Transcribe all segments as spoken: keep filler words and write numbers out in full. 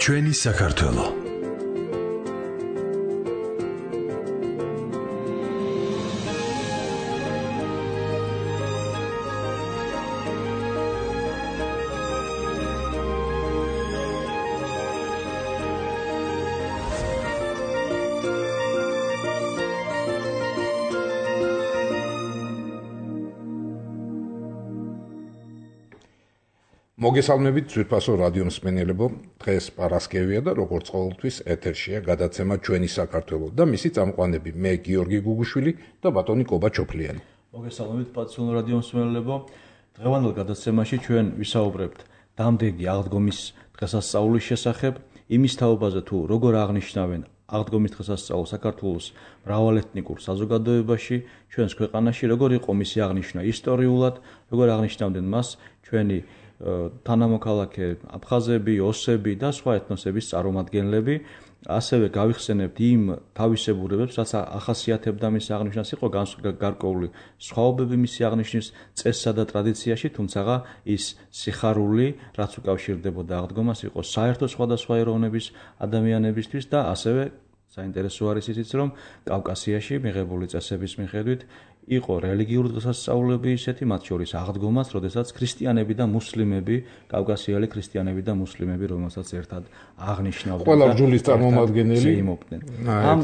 ჩვენი საქართველო. მოგესალმებით ძვირფასო რადიო მსმენელებო, დღეს პარასკევია და როგორც ყოველთვის ეთერშია გადაცემა ჩვენი საქართველო და მისი წამყვანები მე გიორგი გუგუშვილი და ბატონი კობა ჩოფლიანი. მოგესალმებით პატრიოტულ რადიო მსმენელებო, დღევანდელ გადაცემაში ჩვენ ვისაუბრებთ დამდეგი აღდგომის დღესასწაულის შესახებ, იმის თაობაზე თუ როგორ აღნიშნავენ აღდგომის დღესასწაულს საქართველოს მრავალეთნიკურ საზოგადოებაში, ჩვენს ქვეყანაში, როგორ იყო მისი აღნიშვნა ისტორიულად, როგორ აღნიშნავდნენ მას ჩვენი თანამოქალაქე აფხაზები, ოსები და სხვა ეთნოსების წარმომადგენლები, ასევე გავიხსენებთ იმ თავისებურებებს, რაც ახასიათებდა მის აღნიშვნას, იყო გარკვეული სხვაობები მისი აღნიშვნის წესსა და ტრადიციაში, თუმცა ის სიხარული, რაც უკავშირდებოდა აღდგომას, იყო საერთო სხვადასხვა ეროვნების ადამიანებისთვის და ასევე საინტერესო არის ისიც, რომ კავკასიაში მიღებული წესების მიხედვით იყო რელიგიური დღესასწაულები ისეთი, მათ შორის აღდგომას, როდესაც ქრისტიანები და მუსლიმები, კავკასიელი ქრისტიანები და მუსლიმები, რომელსაც ერთად აღნიშნავდნენ. ყველა რჯულის წარმომადგენელი იმობდნენ. ამ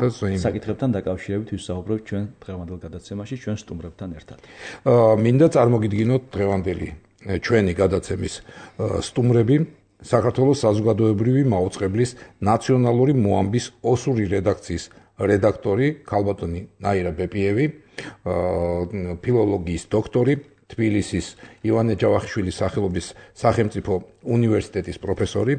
საკითხებთან დაკავშირებით ვისაუბრებთ ჩვენ დღევანდელ გადაცემაში, ჩვენ სტუმრებთან ერთად. მინდა წარმოგიდგინოთ დღევანდელი ჩვენი გადაცემის სტუმრები, საქართველოს საზოგადოებრივი მაუწყებლის ნაციონალური მოამბის ოსური რედაქციის რედაქტორი ქალბატონი ნაირა ბეპიევი, ფილოლოგიის დოქტორი, თბილისის ივანე ჯავახიშვილის სახელობის სახელმწიფო უნივერსიტეტის პროფესორი,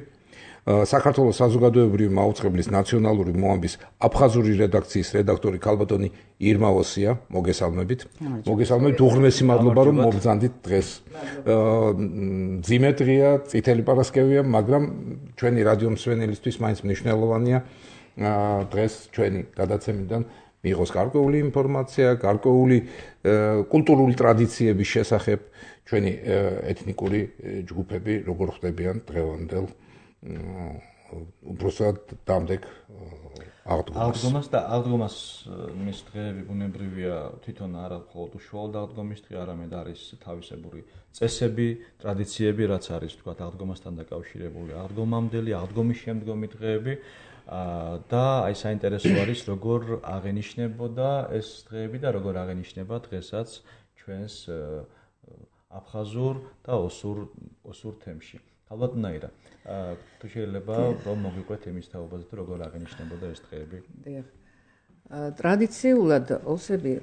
საქართველოს საზოგადოებრივი მაუწყებლის ნაციონალური მოამბის აფხაზური რედაქციის რედაქტორი ქალბატონი ირმა ოსია, მოგესალმებით. მოგესალმებით, უღრმესი მადლობა რომ მოგზანდით დღეს. მძიმე დღეა, წითელი პარასკევია, მაგრამ ჩვენი რადიო მსმენელისთვის მაინც მნიშვნელოვანია დღეს ჩვენი გადაცემიდან მიიღოს გარკვეული ინფორმაცია, გარკვეული კულტურული ტრადიციების შესახებ, ჩვენი ეთნიკური ჯგუფები როგორ ხდებიან დღევანდელ უბრალოდ დამდეგ აღდგომას. აღდგომას და აღდგომას მის დღეები ბუნებრივია თვითონ არა მხოლოდ უშუალოდ აღდგომის დღე, არამედ არის თავისებური წესები, ტრადიციები, რაც არის თქვა აღდგომასთან დაკავშირებული აღდგომამდელი, აღდგომის შემდგომი დღეები. და აი საინტერესო არის როგორ აღენიშნებოდა ეს დღეები და როგორ აღენიშნება დღესაც ჩვენს აფხაზურ და ოსურ ოსურ თემში. ალბათ ნაირა, თუ შეიძლება რომ მოგიყვეთ იმის თაობაზე თუ როგორ აღენიშნებოდა ეს დღეები. დიახ. ტრადიციულად ოსები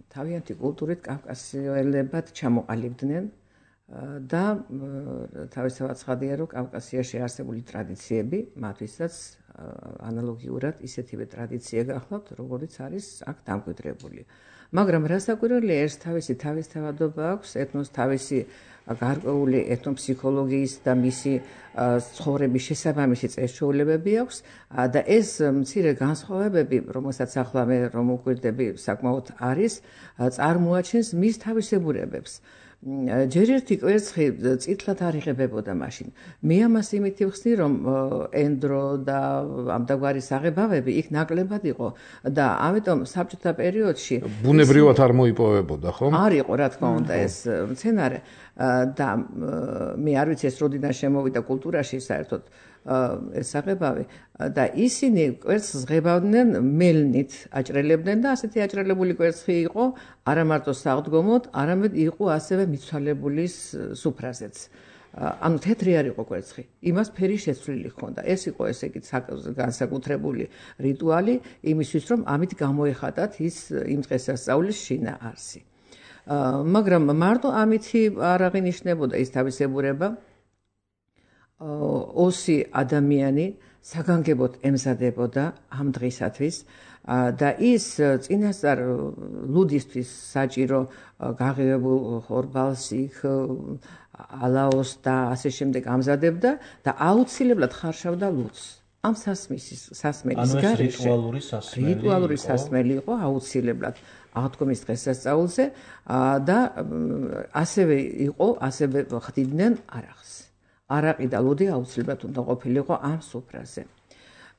თავიანთი კულტურით კავკასიელებად ჩამოყალიბდნენ და თავისთავად ცხადია, რომ კავკასიაში არსებული ტრადიციები მათთვისაც ანალოგიურად ისეთივე ტრადიცია გახლავთ, როგორც არის აქ დამკვიდრებული. მაგრამ რასაკვირველია, ეს თავისი თავისთავადობა აქვს, ეთნოს თავისი გარკვეული ეთნოფსიქოლოგიის და მისი ცხოვრების შესაბამისი წესჩვეულებები აქვს და ეს მცირე განსხვავებები, რომელსაც ახლა მე რომ უკვირდები, საკმაოდ არის, წარმოაჩენს მის თავისებურებებს. ჯერ ერთი კვერცხი წითლად არ იღებებოდა მაშინ. მე ამას იმითი ვხსნი, რომ ენდრო და ამდაგვარი საღებავები იქ ნაკლებად იყო და ამიტომ საბჭოთა პერიოდში ბუნებრივად არ მოიპოვებოდა, ხო? არ იყო, რა თქმა უნდა, ეს მცენარე და მე არ ვიცი ეს როდიდან შემოვიდა კულტურაში საერთოდ ეს საღებავი და ისინი კვერცხს ღებავდნენ მელნით, აჭრელებდნენ და ასეთი აჭრელებული კვერცხი იყო არა მარტო საღდგომოდ, არამედ იყო ასევე მიცვალებული სუფრაზეც. ანუ თეთრი არ იყო კვერცხი, იმას ფერი შეცვლილი ჰქონდა. ეს იყო ესე იგი განსაკუთრებული რიტუალი იმისთვის, რომ ამით გამოეხატათ ის იმ დღესასწაულის შინაარსი. მაგრამ მარტო ამითი არ აღინიშნებოდა ის თავისებურება, ოსი ადამიანი საგანგებოდ ემზადებოდა ამ დღისათვის და ის წინასწარ ლუდისთვის საჭირო გაღებულ ხორბალს იქ ალაოს და ასე შემდეგ ამზადებდა და აუცილებლად ხარშავდა ლუდს. ამ სასმის სასმელის გარეშე რიტუალური სასმელი რიტუალური სასმელი იყო აუცილებლად. აღდგომის დღესასწაულზე და ასევე იყო, ასევე ხდიდნენ არახს. არაყი და ლუდი აუცილებლად უნდა ყოფილიყო ამ სუფრაზე.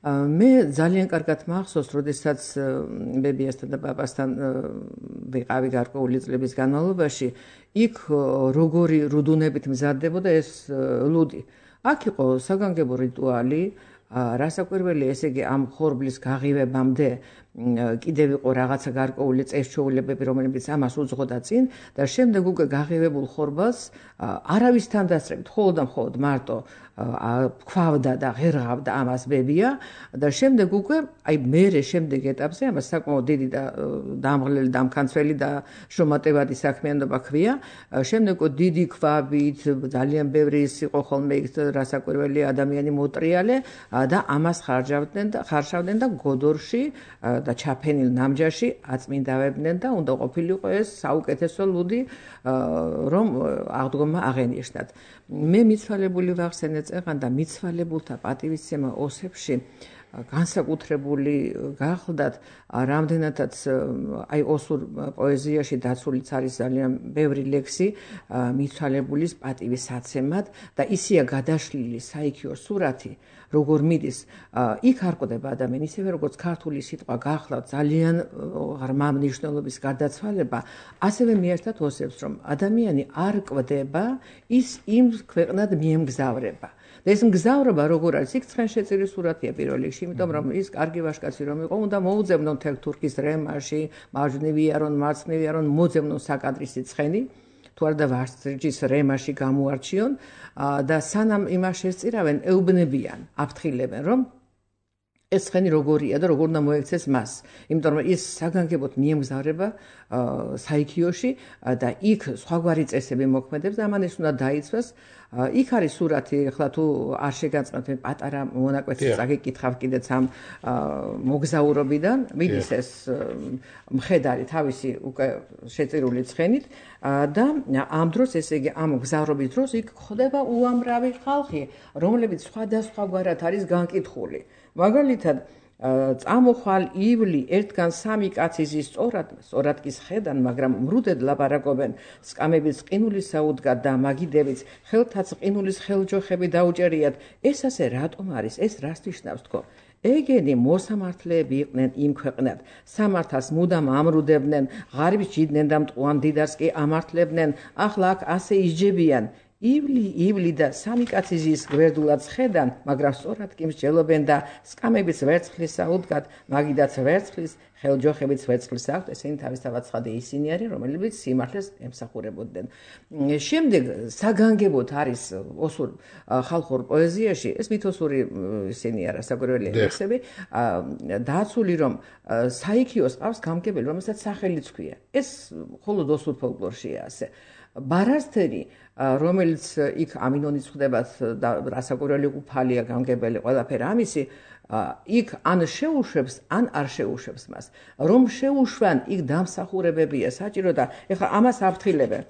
მე ძალიან კარგად მახსოვს, როდესაც ბებიასთან და პაპასთან ვიყავი გარკვეული წლების განმავლობაში, იქ როგორი რუდუნებით მზადდებოდა ეს ლუდი. აქ იყო საგანგებო რიტუალი, რასაკვირველია, ესე იგი ამ ხორბლის გაღივებამდე კიდევ იყო რაღაცა გარკვეული წესჩვეულებები, რომლებიც ამას უძღოდა წინ და შემდეგ უკვე გაღივებულ ხორბალს არავისთან დასწრებით, მხოლოდ და მხოლოდ მარტო ქვავდა და ღერღავდა ამას ბებია და შემდეგ უკვე აი მერე შემდეგ ეტაპზე ამას საკმაოდ დიდი და დამღლელი დამქანცველი და შრომატევადი საქმიანობა ჰქვია. შემდეგ უკვე დიდი ქვაბით ძალიან ბევრი ის იყო ხოლმე იქ რასაკვირველი ადამიანი მოტრიალე და ამას ხარჯავდნენ და ხარშავდნენ და გოდორში და ჩაფენილ ნამჯაში აწმინდავებდნენ და უნდა ყოფილიყო ეს საუკეთესო ლუდი, რომ აღდგომა აღენიშნათ. მე მიცვალებული ვახსენე წეღან და მიცვალებულთა პატივისცემა ოსებში განსაკუთრებული გახლდათ, რამდენადაც აი ოსურ პოეზიაში დაცულიც არის ძალიან ბევრი ლექსი მიცვალებულის პატივისაცემად და ისია გადაშლილი საიქიო სურათი, როგორ მიდის, იქ არ ყვდება ადამიანი, ისევე როგორც ქართული სიტყვა გახლავთ ძალიან ღრმა მნიშვნელობის გარდაცვალება, ასევე მიერთად ოსებს, რომ ადამიანი არ ყვდება, ის იმ ქვეყნად მიემგზავრება. და ეს მგზავრობა როგორ არის, იქ ცხენშეწირი სურათია პირველ რიგში, იმიტომ რომ ის კარგი ვაჟკაცი რომ იყო, უნდა მოუძებნონ თელ თურქის რემაში, მარჯვნივიარონ, მარცხნივიარონ, მოძებნონ საკადრისი ცხენი, თუ არა და ვარსჯის რემაში გამოარჩიონ და სანამ იმას შესწირავენ, ეუბნებიან, აფრთხილებენ, რომ ეს ცხენი როგორია და როგორ უნდა მოექცეს მას. იმიტომ რომ ის საგანგებოდ მიემგზავრება საიქიოში და იქ სხვაგვარი წესები მოქმედებს და ამან ეს უნდა დაიცვას. იქ არის სურათი, ახლა თუ არ შეგაწყნათ, მე პატარა მონაკვეთს წაგიკითხავ კიდეც ამ მოგზაურობიდან, მიდის ეს მხედარი თავისი უკვე შეწირული ცხენით და ამ დროს, ესე იგი, ამ მგზავრობის დროს იქ ხდება უამრავი ხალხი, რომლებიც სხვადასხვაგვარად არის განკითხული. მაგალითად, წამოხვალ ივლი ერთგან სამი კაცი ზის სწორად, სწორად კი სხედან, მაგრამ მრუდედ ლაპარაკობენ, სკამების ყინულის საუდგად და მაგიდებიც, ხელთაც ყინულის ხელჯოხები დაუჭერიათ. ეს ასე რატომ არის? ეს რას ნიშნავს თქო? ეგენი მოსამართლეები იყვნენ იმ ქვეყნად, სამართალს მუდამ ამრუდებდნენ, ღარიბს ჯიდნენ და მტყუან დიდარს კი ამართლებდნენ, ახლა აქ ასე ისჯებიან. ივლი, ივლი და სამი კაცი ზის გვერდულად სხედან, მაგრამ სწორად კი მსჯელობენ და სკამების ვერცხლის საუდგად, მაგიდაც ვერცხლის, ხელჯოხებიც ვერცხლის აქვთ, ესენი თავისთავად ცხადე ისინი არის, რომლებიც სიმართლეს ემსახურებოდნენ. შემდეგ საგანგებოდ არის ოსურ ხალხურ პოეზიაში, ეს მითოსური ისინი არა, საკვირველი ლექსები, დაცული, რომ საიქიოს ყავს გამგებელი, რომელსაც სახელიც ჰქვია. ეს მხოლოდ ოსურ ფოლკლორშია ასე. ბარასთერი, რომელიც იქ ამინონის ხდებათ და რასაკვირველი უფალია გამგებელი ყველაფერი ამისი, იქ ან შეუშვებს, ან არ შეუშვებს მას. რომ შეუშვან, იქ დამსახურებებია საჭირო და ეხლა ამას აფრთხილებენ.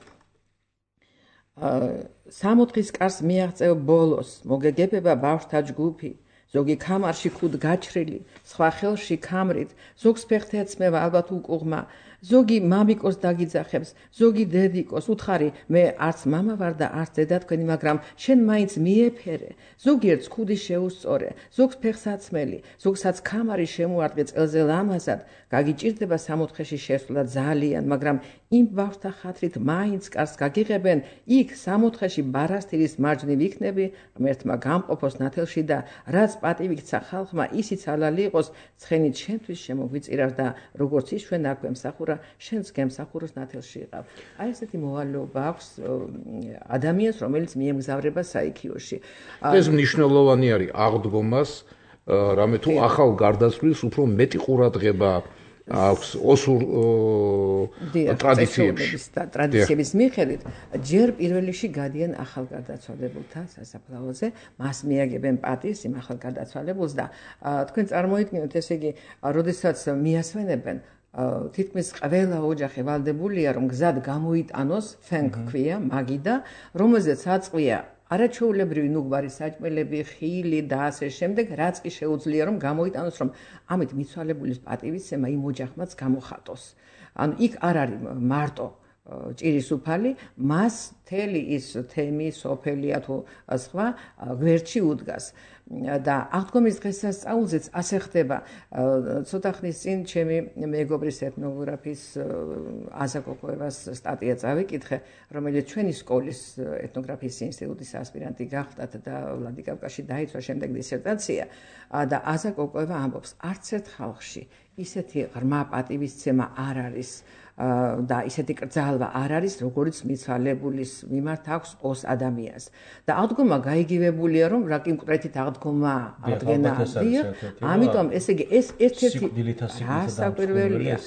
სამოთხის კარს მიაღწევ ბოლოს, მოგეგებება ბავშვთა ჯგუფი, ზოგი ქამარში ქუდ გაჩრილი, სხვა ხელში ქამრით, ზოგს ფეხთა ეცმევა ალბათ უკუღმა, ზოგი მამიკოს დაგიძახებს, ზოგი დედიკოს, უთხარი, მე არც მამა ვარ და არც დედა თქვენი, მაგრამ შენ მაინც მიეფერე, ზოგიერთს ქუდი შეუსწორე, ზოგს ფეხს აცმელი, ზოგსაც ქამარი შემოარტყე წელზე ლამაზად, გაგიჭირდება სამოთხეში შესვლა ძალიან, მაგრამ იმ ბავშვთა ხათრით მაინც კარს გაგიღებენ, იქ სამოთხეში ბარასთირის მარჯვნივ იქნები, ღმერთმა გამყოფოს ნათელში და რაც პატივი გცა ხალხმა, ისიც ალალი იყოს, ცხენით შენთვის შემოგვიწირავს და როგორც ის ჩვენ აქვე მსახურა, შენც გემსახუროს ნათელში იყავ. აი ესეთი მოვალეობა აქვს ადამიანს, რომელიც მიემგზავრება საიქიოში. ეს მნიშვნელოვანი არის აღდგომას, რამე თუ ახალ გარდაცვლის უფრო მეტი ყურადღება აქვს ოსურ ტრადიციებში და ტრადიციების მიხედვით, ჯერ პირველ რიგში გადიან ახალგარდაცვალებულთა სასაფლაოზე, მას მიაგებენ პატივს იმ ახალგარდაცვალებულს და თქვენ წარმოიდგინოთ, ესე იგი, როდესაც მიასვენებენ, თითქმის ყველა ოჯახი ვალდებულია, რომ გზად გამოიტანოს, ფენქ ქვია, მაგიდა, რომელზეც აწყვია არაჩვეულებრივი ნუგვარი საჭმელები, ხილი და ასე შემდეგ, რაც კი შეუძლია რომ გამოიტანოს, რომ ამით მიცვალებულის პატივისცემა იმ ოჯახმაც გამოხატოს. ანუ იქ არ არის მარტო ჭირის უფალი, მას მთელი ის თემი, სოფელია თუ სხვა გვერდში უდგას. და აღდგომის დღესასწაულზეც ასე ხდება. ცოტა ხნის წინ ჩემი მეგობრის ეთნოგრაფის აზა კოკოევას სტატია წავიკითხე, რომელიც ჩვენი სკოლის ეთნოგრაფიის ინსტიტუტის ასპირანტი გახდათ და ვლადიკავკაზში დაიცვა შემდეგ დისერტაცია. და აზა კოკოევა ამბობს, არც ერთ ხალხში ისეთი ღრმა პატივისცემა არ არის და ისეთი კრძალვა არ არის, როგორც მიცვალებულის მიმართ აქვს ოს ადამიანს. და აღდგომა გაიგივებულია, რომ რა კონკრეტით აღდგომა აღდგენა არის. ამიტომ ესე იგი ეს ერთ-ერთი რასაკვირველია.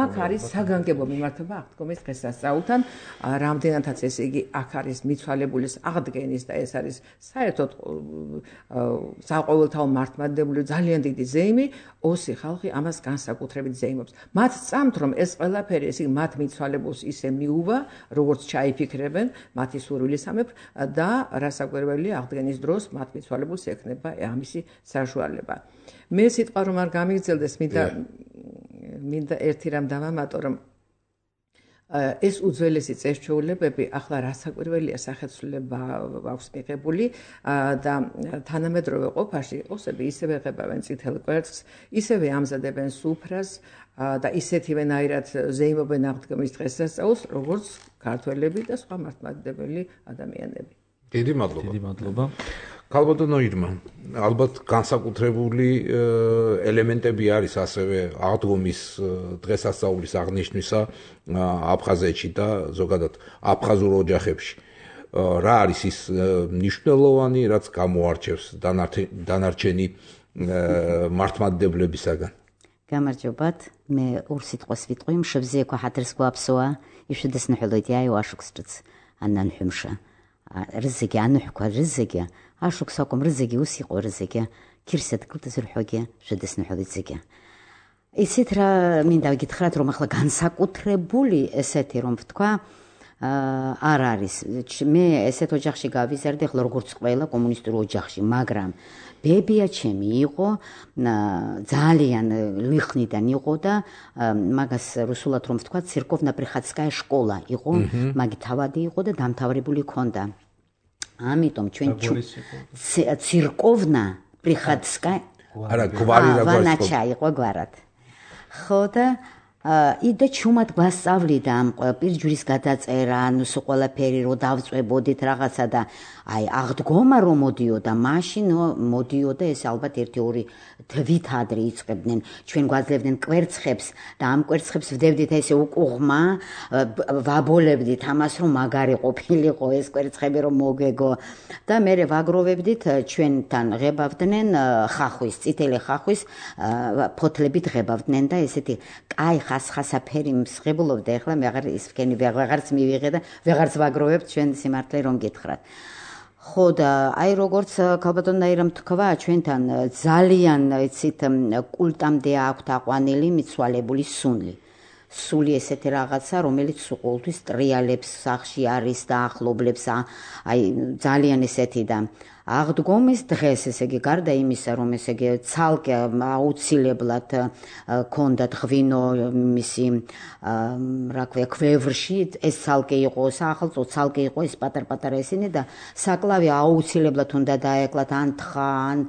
აქ არის საგანგებო მიმართება აღდგომის დღესასწაულთან, რამდენადაც ესე იგი აქ არის მიცვალებულის აღდგენის და ეს არის საერთოდ საყოველთაო მართლმადიდებლური ძალიან დიდი ზეიმი, ოსი ხალხი ამას განსაკუთრებით ზეიმობს. მათ წამთ რომ ეს ყველაფერი ესე მათ მიცვალებულს ისე მიუვა, როგორც ჩაიფიქრებენ მათი სურვილისამებრ და რასაკვირველია აღდგენის დროს მათ მიცვალებულს ექნება ამისი საშუალება. მე სიტყვა რომ არ გამიგრძელდეს, მინდა მინდა ერთი რამ დავამატო, რომ ეს უძველესი წესჩვეულებები ახლა რასაკვირველია სახეცვლილება აქვს მიღებული და თანამედროვე ყოფაში ოსები ისევე ღებავენ წითელ კვერცხს, ისევე ამზადებენ სუფრას და ისეთივენაირად ზეიმობენ აღდგომის დღესასწაულს, როგორც ქართველები და სხვა მართლმადიდებელი ადამიანები. დიდი მადლობა. დიდი მადლობა. ქალბატონო ირმა, ალბათ განსაკუთრებული ელემენტები არის ასევე აღდგომის დღესასწაულის აღნიშვნისა აფხაზეთში და ზოგადად აფხაზურ ოჯახებში. რა არის ის მნიშვნელოვანი, რაც გამოარჩევს დანარჩენი მართლმადიდებლებისაგან? გამარჯობათ, მე ორ სიტყვას ვიტყვი, მშებზე ქაჰადრს გვაფსოა, იშუდეს ნჰოლოდი აი ვაშუქსტრც ანან ჰუმშა. რზეგი ანუჰკვა რზეგი აშუქსაკომ რზეგი უსიყო რზეგი ქირსეთ კლტზრჰოგი შუდეს ნჰოლიდზეგი. ისეთ რა მინდა გითხრათ, რომ ახლა განსაკუთრებული ესეთი რომ ვთქვა არ არის. მე ესეთ ოჯახში გავიზარდი, ახლა როგორც ყველა კომუნისტურ ოჯახში, მაგრამ ბებია ჩემი იყო ძალიან ლიხნიდან იყო და მაგას რუსულად რომ ვთქვა, ცირკოვნა-პრიხატსკაია შკოლა იყო, მაგი თავადი იყო და დამთავრებული ჰქონდა. ამიტომ ჩვენ ცირკოვნა-პრიხატსკაია არა გვარი რა გვაჩა იყო გვარად. ხო და იდა ჩუმად გვასწავლიდა ამ პირჯვრის გადაწერა, ანუ სულ ყველაფერი რო დავწვებოდით რაღაცა და აი აღდგომა რომ მოდიოდა, მაშინ მოდიოდა ეს ალბათ ერთი ორი თვით ადრე იწყებდნენ. ჩვენ გვაძლევდნენ კვერცხებს და ამ კვერცხებს ვდებდით ესე უკუღმა, ვაბოლებდით ამას რომ მაგარი ყოფილიყო ეს კვერცხები რომ მოგეგო და მე ვაგროვებდით, ჩვენთან ღებავდნენ ხახვის, წითელი ხახვის ფოთლებით ღებავდნენ და ესეთი კაი ხასხასაფერი მსხებულობდა. ეხლა მე აღარ ის ვქენი ვეღარც მივიღე და ვეღარც ვაგროვებ ჩვენ სიმართლე რომ გითხრათ. ხო და აი როგორც ქალბატონმა ირამ თქვა, ჩვენთან ძალიან იცით კულტამდე აქვთ აყვანილი მიცვალებული სუნლი. სული ესეთი რაღაცა, რომელიც ყოველთვის ტრიალებს სახში არის და ახლობლებს, აი ძალიან ესეთი და აღდგომის დღეს, ესე იგი, გარდა იმისა, რომ ესე იგი ცალკე აუცილებლად ქონდათ ღვინო მისი რა ქვია ქვევრში, ეს ცალკე იყო საახალწლო, ცალკე იყო ეს პატარ-პატარა ისინი და საკლავი აუცილებლად უნდა დაეკლათ ან თხა, ან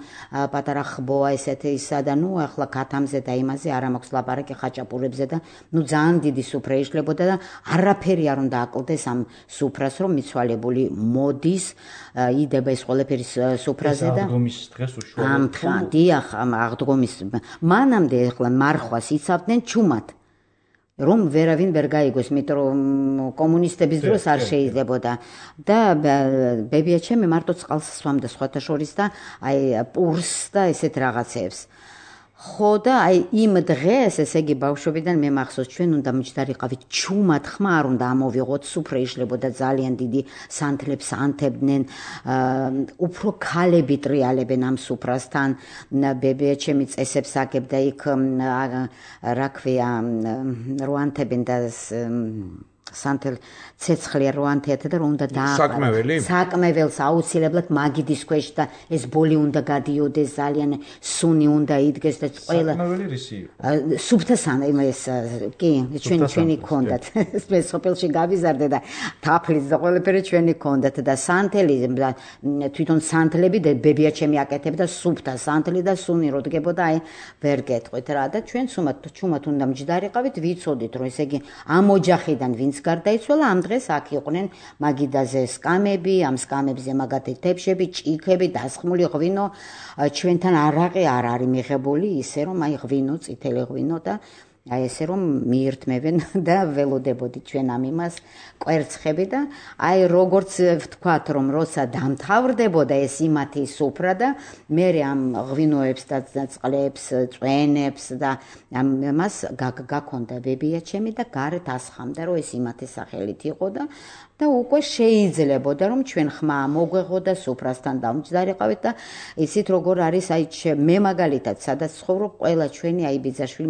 პატარა ხბოა ესეთი ისა და ნუ ახლა ქათამზე და იმაზე არ მაქვს ლაპარაკი ხაჭაპურებზე და ნუ ძალიან დიდი სუფრა იშლებოდა და არაფერი არ უნდა აკლდეს ამ სუფრას, რომ მიცვალებული მოდის, იდება ეს ყველაფერი სუფრაზე და აღდგომის დღეს უშუალოდ ამ თხა დიახ ამ აღდგომის მანამდე ახლა მარხვას იცავდნენ ჩუმად რომ ვერავინ ვერ გაიგოს, იმიტომ რომ კომუნისტების დროს არ შეიძლებოდა და ბებია ჩემი მარტო წყალს სვამდა სხვათა შორის და აი პურს და ესეთ რაღაცებს. ხო და აი იმ დღეს, ესე იგი ბავშვობიდან მე მახსოვს, ჩვენ უნდა მჯდარიყავით ჩუმად, ხმა არ უნდა ამოვიღოთ, სუფრა იშლებოდა ძალიან დიდი, სანთლებს ანთებდნენ, უფრო ქალები ტრიალებენ ამ სუფრასთან, ბებია ჩემი წესებს აგებდა იქ რა ქვია, რო ანთებენ და სანთელ ცეცხლია რო ანთეათა და რომ უნდა დააყარა. საკმეველი? საკმეველს აუცილებლად მაგიდის ქვეშ და ეს ბოლი უნდა გადიოდეს ძალიან სუნი უნდა იდგეს და ყველა საკმეველი რისი იყო? სუფთა სანთელი ეს კი ჩვენი ჩვენი ქონდათ. მე სოფელში გავიზარდე და თაფლიც და ყველაფერი ჩვენი ქონდათ და სანთელი თვითონ სანთლები და ბებია ჩემი აკეთებდა სუფთა სანთელი და სუნი რო დგებოდა აი ვერ გეტყვით რა და ჩვენ სუმად ჩუმად უნდა მჯდარიყავით ვიცოდით რომ ესე იგი ამ ოჯახიდან ვინც გარდაიცვალა ამ დღეს აქ იყვნენ მაგიდაზე სკამები ამ სკამებზე მაგათი თებშები ჭიქები დასხმული ღვინო ჩვენთან არაყი არ არის მიღებული ისე რომ აი ღვინო წითელი ღვინო და აი ესე რომ მიირთმევენ და ველოდებოდი ჩვენ ამ იმას კვერცხები და აი როგორც ვთქვათ რომ როცა დამთავრდებოდა ეს იმათი სუფრა და მე ამ ღვინოებს და წყლებს წვენებს და ამას გაქონდა ბებია ჩემი და გარეთ ასხამდა რომ ეს იმათი სახელით იყო და და უკვე შეიძლებოდა რომ ჩვენ ხმა მოგვეღოდა სუფრასთან დამჯდარიყავით და იცით როგორ არის აი მე მაგალითად სადაც ცხოვრობ ყველა ჩვენი აი ბიძაშვილი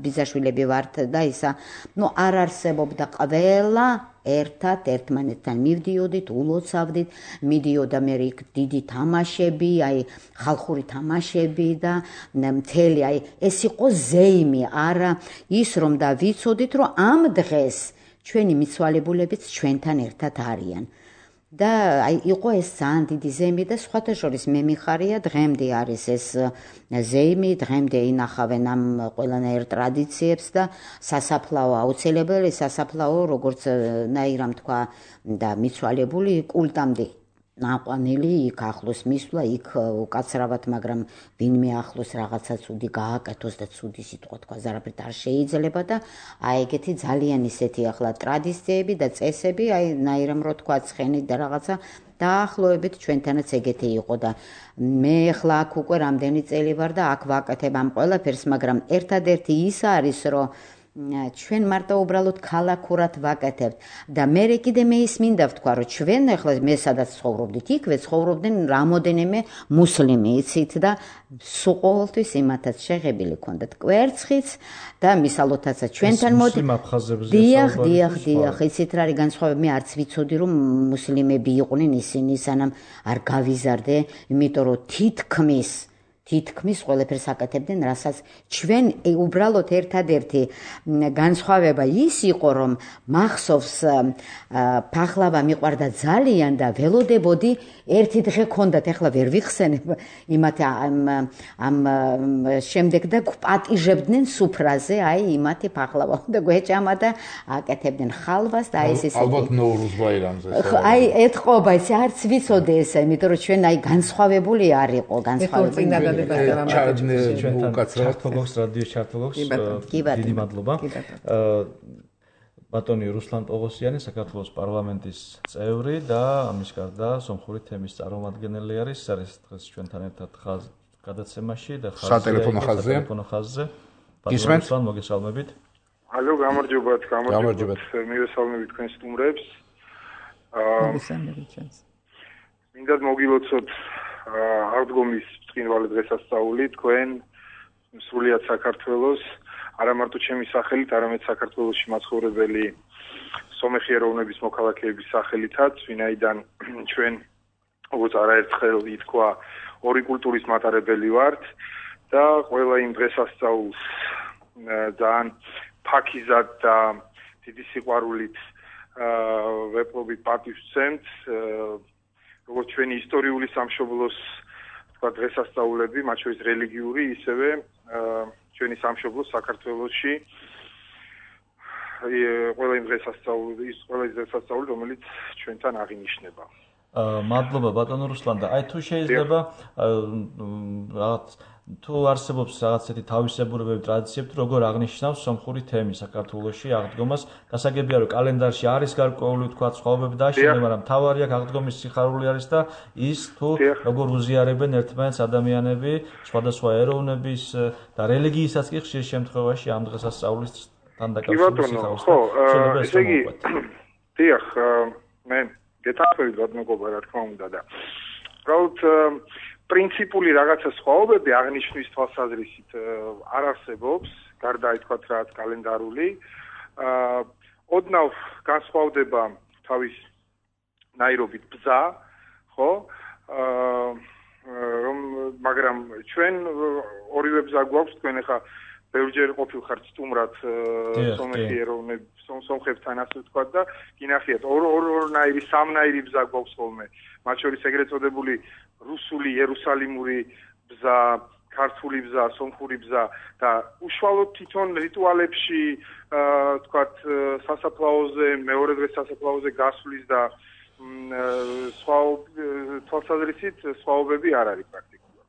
ბიძაშვილები ვართ და ისა ნუ არ არსებობდა ყველა ერთად ერთმანეთთან მივდიოდით ულოცავდით მიდიოდა მე იქ დიდი თამაშები აი ხალხური თამაშები და მთელი აი ეს იყო ზეიმი არა ის რომ და ვიცოდით რომ ამ დღეს ჩვენი მიცვალებულებიც ჩვენთან ერთად არიან და აი იყო ეს ძალიან დიდი ზეიმი და სხვათა შორის მე მიხარია დღემდე არის ეს ზეიმი დღემდე ინახავენ ამ ყველანაირ ტრადიციებს და სასაფლაო აუცილებელი სასაფლაო როგორც ნაირამ თქვა და მიცვალებული კულტამდე ნაყვანილი იქ ახლოს მისვლა იქ უკაცრავად მაგრამ ვინმე ახლოს რაღაცა ცუდი გააკეთოს და ცუდი სიტყვა თქვა ზარაფერთ არ შეიძლება და აი ეგეთი ძალიან ისეთი ახლა ტრადიციები და წესები აი ნაირამ რო თქვა ცხენით და რაღაცა დაახლოებით ჩვენთანაც ეგეთი იყო და მე ახლა აქ უკვე რამდენი წელი ვარ და აქ ვაკეთებ ამ ყველაფერს მაგრამ ერთადერთი ის არის რომ ჩვენ მარტო უბრალოდ ქალაქურად ვაკეთებთ და მე კიდე მე ის მინდა ვთქვა რომ ჩვენ ახლა მე სადაც ცხოვრობდით იქვე ცხოვრობდნენ რამოდენიმე მუსლიმი იცით და სულ ყოველთვის იმათაც შეღებილი ქონდათ კვერცხიც და მისალოთაცაც ჩვენთან მოდი დიახ დიახ დიახ იცით რა არის განსხვავება მე არც ვიცოდი რომ მუსლიმები იყვნენ ისინი სანამ არ გავიზარდე იმიტომ რომ თითქმის თითქმის ყველაფერს აკეთებდნენ, რასაც ჩვენ უბრალოდ ერთადერთი განსხვავება ის იყო, რომ მახსოვს ფახლავა მიყვარდა ძალიან და ველოდებოდი ერთი დღე ქონდათ, ახლა ვერ ვიხსენებ იმათ ამ შემდეგ და პატიჟებდნენ სუფრაზე, აი იმათი ფახლავა და გვეჭამა და აკეთებდნენ ხალვას და აი ეს ისეთი ალბათ ნოვრუზ ბაირამზე. აი ეთყობა, ეს არც ვიცოდე ესა, იმიტომ რომ ჩვენ აი განსხვავებული არ იყო, განსხვავებული ჩართოგოქს რადიო ჩართოგოქს დიდი მადლობა ბატონი რუსლან პოღოსიანი საქართველოს პარლამენტის წევრი და ამის გარდა სომხური თემის წარმომადგენელი არის ეს არის დღეს ჩვენთან ერთად გადაცემაში და სატელეფონო ხაზზე ბატონი რუსლან მოგესალმებით ალო გამარჯობათ გამარჯობათ მივესალმებით თქვენ სტუმრებს მოგესალმებით ჩვენს მინდა მოგილოცოთ აღდგომის ბრწყინვალე დღესასწაული თქვენ სრულიად საქართველოს არა მარტო ჩემი სახელით, არამედ საქართველოში მაცხოვრებელი სომეხი ეროვნების მოქალაქეების სახელითაც, ვინაიდან ჩვენ როგორც არაერთხელ ითქვა, ორი კულტურის მატარებელი ვართ და ყველა იმ დღესასწაულს ძალიან ფაქიზად და დიდი სიყვარულით ვეპყრობით პატივს ვცემთ როგორც ჩვენი ისტორიული სამშობლოს თქვა დღესასწაულები, მათ შორის რელიგიური, ისევე ჩვენი სამშობლოს საქართველოში ყველა იმ დღესასწაული, ის ყველა ის დღესასწაული, რომელიც ჩვენთან აღინიშნება. მადლობა ბატონო რუსლან და აი თუ შეიძლება რაღაც თუ არსებობს რაღაც ესეთი თავისებურებები ტრადიციები როგორ აღნიშნავს სომხური თემი საქართველოში აღდგომას გასაგებია რომ კალენდარში არის გარკვეული თქვა ცხოვრებები და შეიძლება მაგრამ თავარი აქ აღდგომის სიხარული არის და ის თუ როგორ უზიარებენ ერთმანეთს ადამიანები სხვადასხვა ეროვნების და რელიგიისაც კი ხშირ შემთხვევაში ამ დღესასწაულისთან დაკავშირებით სიხარულს ხო ესე იგი დიახ მე გეტყვით ბატონო გობა რა თქმა უნდა და უბრალოდ პრინციპული რაღაცა სხვაობები აღნიშნვის თვალსაზრისით არ არსებობს, გარდა ითქვათ რაც კალენდარული. ოდნავ განსხვავდება თავის ნაირობით ბზა, ხო? აა რომ მაგრამ ჩვენ ორივე ბზა გვაქვს, თქვენ ახლა ბევრჯერ ყოფილხართ სტუმრად სომეხი ეროვნებ სომხებთან ასე ვთქვა და გინახიათ ორ ორნაირი სამნაირი ბზა გვაქვს ხოლმე. მათ შორის ეგრეთ წოდებული რუსული იერუსალიმური ბზა, ქართული ბზა, სომხური ბზა და უშუალოდ თვითონ რიტუალებში ვთქვათ სასაფლაოზე, მეორე დღეს სასაფლაოზე გასვლის და სხვა თვალსაზრისით სხვაობები არ არის პრაქტიკულად.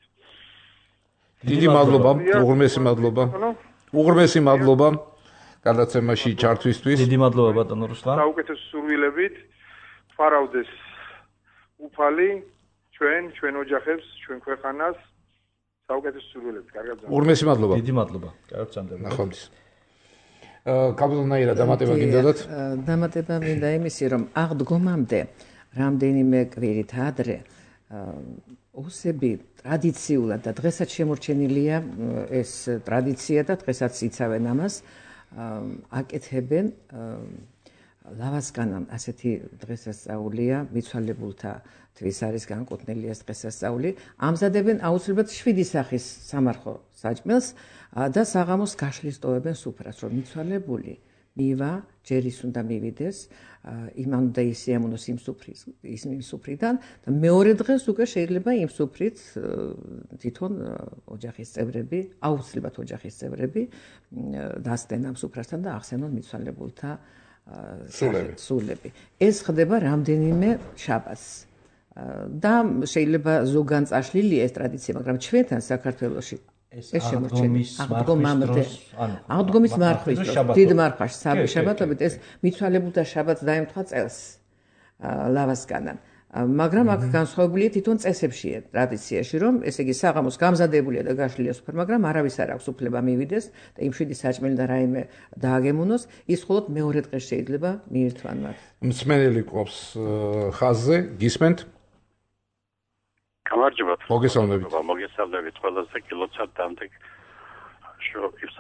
დიდი მადლობა, უღრმესი მადლობა. უღრმესი მადლობა გადაცემაში ჩართვისთვის. დიდი მადლობა ბატონო რუსლან. საუკეთესო სურვილებით ფარავდეს უფალი ჩვენ, ჩვენ ოჯახებს, ჩვენ ქვეყანას. საუკეთესო სურვილებით, კარგად გზავნებთ. უღრმესი მადლობა. დიდი მადლობა. კარგად გზავნებთ. ნახვამდის. კაბულნაირა დამატება გინდათ? დამატება მინდა იმისი, რომ აღდგომამდე რამდენიმე კვირით ადრე ოსები ტრადიციულად და დღესაც შემორჩენილია ეს ტრადიცია და დღესაც იცავენ ამას, აკეთებენ ლავასკანამ ასეთი დღესასწაულია, მიცვალებულთა თვის არის განკუთვნილი ეს დღესასწაული, ამზადებენ აუცილებლად შვიდი სახის სამარხო საჭმელს და საღამოს გაშლის ტოვებენ სუფრას, რომ მიცვალებული მივა ჯერის უნდა მივიდეს, იმან უნდა ისიამოვნოს იმ სუფრის, იმ სუფრიდან და მეორე დღეს უკვე შეიძლება იმ სუფრით თვითონ ოჯახის წევრები, აუცილებლად ოჯახის წევრები დასდენ ამ სუფრასთან და ახსენონ მიცვალებულთა სულები. ეს ხდება რამდენიმე შაბათს. და შეიძლება ზოგან წაშლილია ეს ტრადიცია, მაგრამ ჩვენთან საქართველოში ეს შემორჩენილი აღდგომამდე აღდგომის მარხვის დროს დიდ მარხვაში შაბათობით ეს მიცვალებულთა შაბათს დაემთხვა წელს ლავასკანამ. მაგრამ აქ განსხვავებულია თვითონ წესებშია ტრადიციაში, რომ ესე იგი საღამოს გამზადებულია და გაშლილია სუფრა, მაგრამ არავის არ აქვს უფლება მივიდეს და იმ შვიდი საჭმელი და რაიმე დააგემუნოს, ის მხოლოდ მეორე დღეს შეიძლება მიირთვან მათ. მსმენელი ყოფს ხაზზე, გისმენთ? გამარჯობათ. მოგესალმებით. მოგესალმებით ყველასა კილოცადამდე შოქის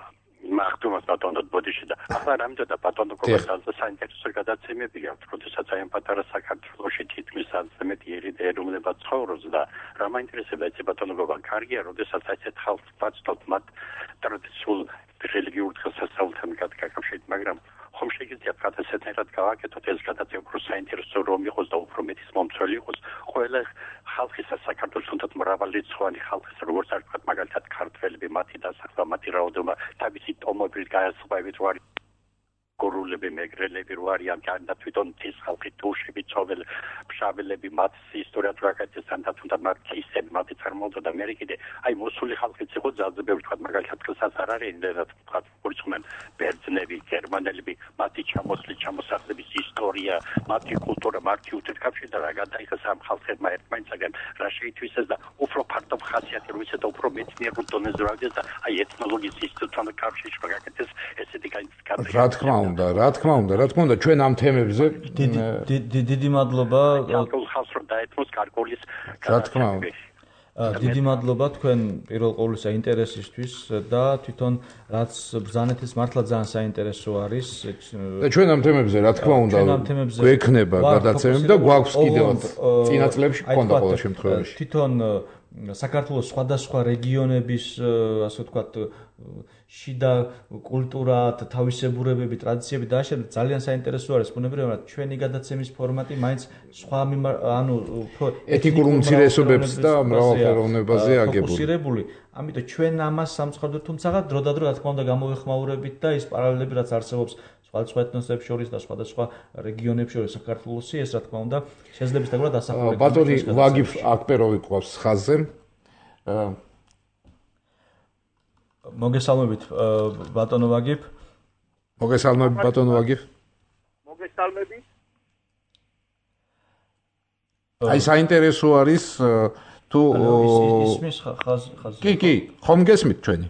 მახტუმას ბატონო ბოდიში და ახლა რამდენად ბატონო კოμένტარზე საინტერესო გადაცემები აქვს, როდესაც აი ამ პატარა საქართველოში თითქმის ათზე მეტი ეროვნება ცხოვრობს და რა მაინტერესება ეს ბატონო გოგა კარგია, როდესაც ასეთ ხალხს ვაცნობთ მათ ტრადიციულ რელიგიურ დღესასწაულთან გაკავშირებით, მაგრამ ხომ შეიძლება გადასცემად გავაკეთოთ ეს გადაცემა უფრო საინტერესო რომ იყოს და უფრო მეტის მომცველი იყოს ყველა ხალხის საქართველოს თუნდაც მრავალრიცხოვანი ხალხის როგორც არ ვთქვათ მაგალითად ქართველები მათი დასახვა მათი რაოდენობა თავისი ტომობით გაასწრებით ვარ გორულები მეგრელები რო არიან და თვითონ ის ხალხი თუშები ცოველ ფშაველები მათ ისტორია ტრაკეთისთან და თუნდაც მათ ისები მათი წარმოდგა და მე კიდე აი მოსული ხალხიც იყო ძალზე ბევრი თქვა მაგალითად ხელსაც არ არის იმდენად თქვა პორცმენ ბერძნები გერმანელები მათი ჩამოსვლის ჩამოსახლების ისტორია მათი კულტურა მათი უთეთქაფში და რა გადაიხეს ამ ხალხებმა ერთმანეთსაგან რა შეითვისეს და უფრო ფართო ხასიათი რო ისე და უფრო მეცნიერულ დონეზე რა გეს და აი ეთნოლოგიის ინსტიტუტთან კავშირში გაკეთეს ესეთი განცხადება რა თქმა უნდა, რა თქმა უნდა, რა თქმა უნდა, ჩვენ ამ თემებზე დიდი მადლობა. ხალხს რომ დაეთმოს გარკვეულის რა თქმა უნდა. დიდი მადლობა თქვენ პირველ ყოვლისა ინტერესისთვის და თვითონ რაც ბრძანეთის მართლა ძალიან საინტერესო არის. და ჩვენ ამ თემებზე რა თქმა უნდა გვექნება გადაცემები და გვაქვს კიდევაც წინა წლებში გქონდა ყოველ შემთხვევაში. თვითონ საქართველოს სხვადასხვა რეგიონების ასე ვთქვათ შიდა კულტურა, თავისებურებები, ტრადიციები და ასე ძალიან საინტერესო არის. ბუნებრივად ჩვენი გადაცემის ფორმატი მაინც სხვა ანუ ეთნიკურ უმცირესობებს და მრავალფეროვნებაზე აგებული. ამიტომ ჩვენ ამას სამწუხაროდ თუმცა დრო და დრო რა თქმა უნდა გამოვეხმაურებით და ის პარალელები რაც არსებობს სხვადასხვა ეთნოსებს შორის და სხვადასხვა რეგიონებს შორის საქართველოსი ეს რა თქმა უნდა შეძლებს დაგვრა დასახულება. ბატონი ვაგიფ აკპეროვი ყავს ხაზზე. მოგესალმებით ბატონო ვაგიფ. მოგესალმებით ბატონო ვაგიფ. მოგესალმებით. აი საინტერესო არის თუ ისმის ხაზი ხაზი. კი კი, ხომ გესმით ჩვენი?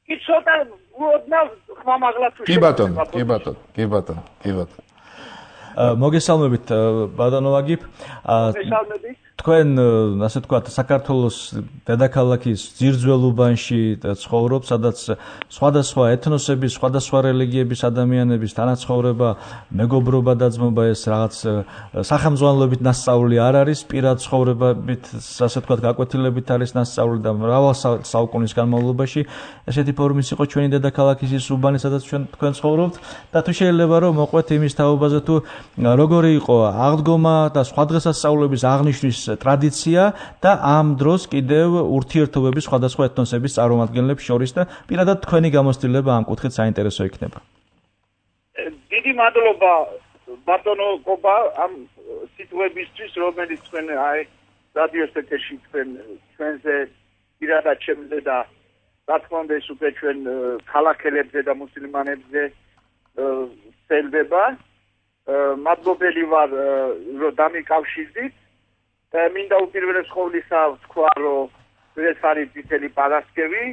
კი ცოტა ოდნავ ხმამაღლა თუ კი ბატონო, კი ბატონო, კი ბატონო, კი ბატონო. მოგესალმებით ბატონო ვაგიფ. მოგესალმებით. თქვენ ასე ვთქვათ საქართველოს დედაქალაქის ძირძველ უბანში ცხოვრობთ, სადაც სხვადასხვა ეთნოსების, სხვადასხვა რელიგიების ადამიანების თანაცხოვრება, მეგობრობა დაძმობა ეს რაღაც სახელმძღვანელობით ნასწავლი არ არის, პირად ცხოვრებებით, ასე ვთქვათ, გაკვეთილებით არის ნასწავლი და მრავალ საუკუნის განმავლობაში ესეთი ფორმის იყო ჩვენი დედაქალაქის ის უბანი, სადაც ჩვენ თქვენ ცხოვრობთ და თუ შეიძლება რომ მოყვეთ იმის თაობაზე თუ როგორი იყო აღდგომა და სხვა დღესასწაულების აღნიშვნის ტრადიცია და ამ დროს კიდევ ურთიერთობების სხვადასხვა ეთნოსების წარმომადგენლებს შორის და პირადად თქვენი გამოცდილება ამ კუთხით საინტერესო იქნება. დიდი მადლობა ბატონო კობა ამ სიტუაციისთვის, რომელიც თქვენ აი რადიოს ეთერში თქვენ ჩვენზე პირადად შემიძლია და რა თქმა უნდა ეს უკვე ჩვენ ქალაქელებზე და მუსლიმანებზე სელდება. მადლობელი ვარ რომ დამიკავშირდით. მინდა უპირველეს ყოვლისა ვთქვა რომ ეს არის წითელი პარასკევი,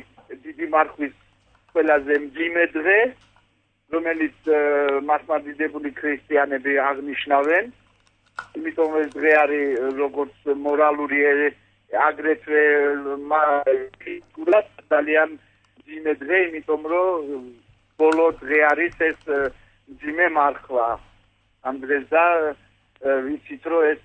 დიდი მარხვის ყველაზე მძიმე დღე, რომელიც მართლმადიდებელი ქრისტიანები აღნიშნავენ. იმიტომ ეს დღე არის როგორც მორალური აგრეთვე ძალიან მძიმე დღე, იმიტომ რომ ბოლო დღე არის ეს მძიმე მარხვა. ამ დღეს და ვიცით რომ ეს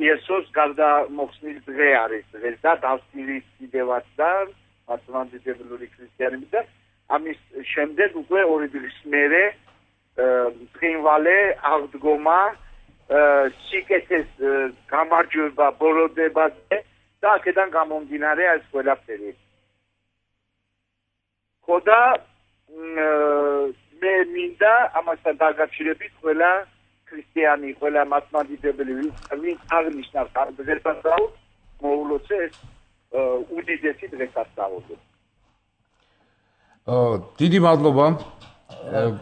იესოს გარდამოხსნის დღე არის დღეს და დავსტირის კიდევაც და მართლმადიდებლური ქრისტიანები და ამის შემდეგ უკვე ორი დღის მერე ბრინვალე აღდგომა სიკეთეს გამარჯვება ბოროდებაზე და აქედან გამომდინარე ეს ყველაფერი. ხოდა მე მინდა ამასთან დაკავშირებით ყველა ქრისტიანი, ყველა მართლმადიდებელი ვინც აღნიშნავს ამ დღესასწაულს, მოულოცე ეს უდიდესი დღესასწაული. დიდი მადლობა.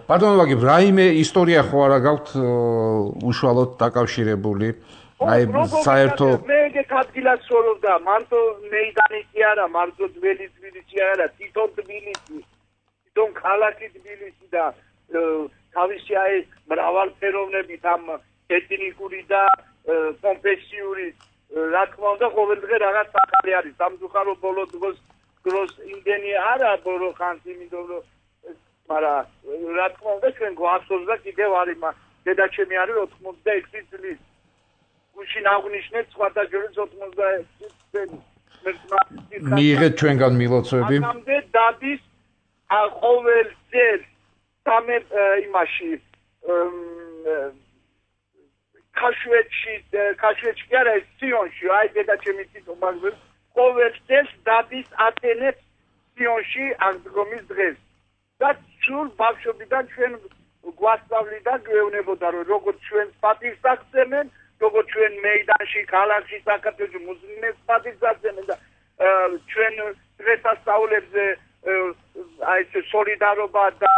ბატონო ვაგებ, რაიმე ისტორია ხო არა გაქვთ უშუალოდ დაკავშირებული? აი საერთო მე ეგეთ ადგილას ცხოვრობდა, მარტო მეიდანი კი არა, მარტო ძველი თბილისი არა, თვითონ თბილისი, თვითონ ქალაქი თბილისი და თავისი აი მრავალფეროვნებით ამ ეთნიკური და კონფესიური რა თქმა უნდა ყოველ დღე რაღაც ახალი არის. სამწუხარო ბოლო დროს დროს იმდენი არა ბოლო ხანს იმიტომ რომ მაგრამ რა თქმა უნდა ჩვენ გვახსოვს და კიდევ არის დედაჩემი არის ოთხმოცდაექვსი წლის გუშინ აღნიშნეთ სხვადასხვა ოთხმოცდაექვსი წელი მიიღეთ ჩვენგან მილოცვები ამამდე დადის ყოველ წელს სამე იმაში ქაშვეთში ქაშვეთში კი არა სიონში აი დედაჩემი თვითონ მაგბელ ყოველ წელს დადის ატენებს სიონში აღდგომის დღეს და სულ ბავშვობიდან ჩვენ გვასწავლიდა გვეუბნებოდა რომ როგორც ჩვენ პატივს აღწევენ როგორც ჩვენ მეიდანში ქალაქში საქართველოში მუსლიმებს პატივს აღწევენ და ჩვენ დღესასწაულებზე აი ეს სოლიდარობა და